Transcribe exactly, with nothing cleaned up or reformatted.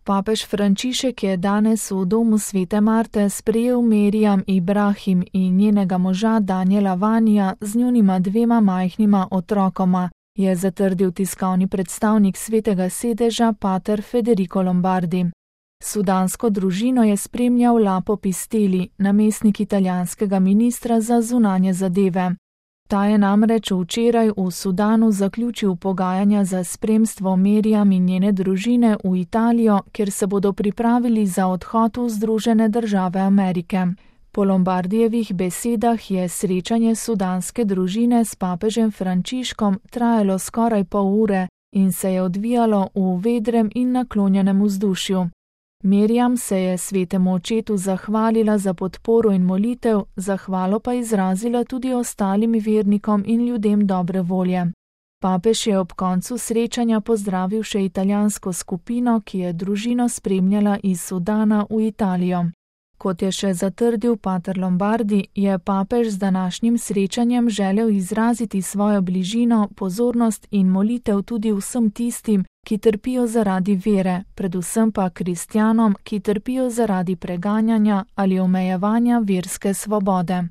Papež Frančišek je danes v domu Svete Marte sprejel Meriam Ibrahim in njenega moža Daniela Vanija z njunima dvema majhnima otrokoma, je zatrdil tiskovni predstavnik Svetega sedeža pater Federico Lombardi. Sudansko družino je spremljal Lapo Pisteli, namestnik italijanskega ministra za zunanje zadeve. Ta je namreč včeraj v Sudanu zaključil pogajanja za spremstvo Meriam in njene družine v Italijo, kjer se bodo pripravili za odhod v Združene države Amerike. Po Lombardijevih besedah je srečanje sudanske družine s papežem Frančiškom trajalo skoraj pol ure in se je odvijalo v vedrem in naklonjenem vzdušju. Meriam se je svetemu očetu zahvalila za podporo in molitev, zahvalo pa izrazila tudi ostalim vernikom in ljudem dobre volje. Papež je ob koncu srečanja pozdravil še italijansko skupino, ki je družino spremljala iz Sudana v Italijo. Kot je še zatrdil pater Lombardi, je papež z današnjim srečanjem želel izraziti svojo bližino, pozornost in molitev tudi vsem tistim, ki trpijo zaradi vere, predvsem pa kristjanom, ki trpijo zaradi preganjanja ali omejevanja verske svobode.